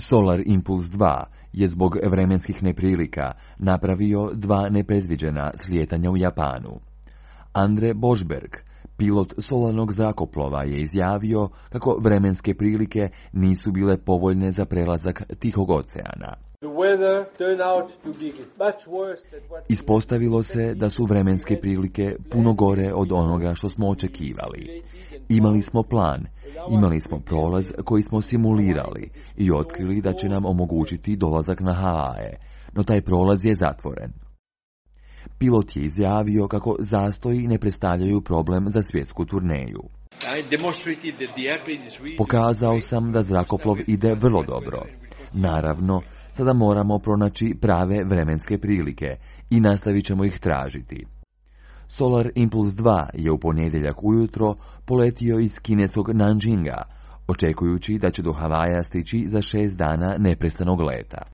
Solar Impulse 2 je zbog vremenskih neprilika napravio 2 nepredviđena slijetanja u Japanu. Andre Božberg, pilot solarnog zrakoplova, je izjavio kako vremenske prilike nisu bile povoljne za prelazak Tihog oceana. Ispostavilo se da su vremenske prilike puno gore od onoga što smo očekivali. Imali smo plan, imali smo prolaz koji smo simulirali i otkrili da će nam omogućiti dolazak na Havaje, no taj prolaz je zatvoren. Pilot je izjavio kako zastoji ne predstavljaju problem za svjetsku turneju. Pokazao sam da zrakoplov ide vrlo dobro. Naravno, sada moramo pronaći prave vremenske prilike i nastavit ćemo ih tražiti. Solar Impulse 2 je u ponedjeljak ujutro poletio iz kineskog Nanjinga, očekujući da će do Havaja stići za 6 dana neprestanog leta.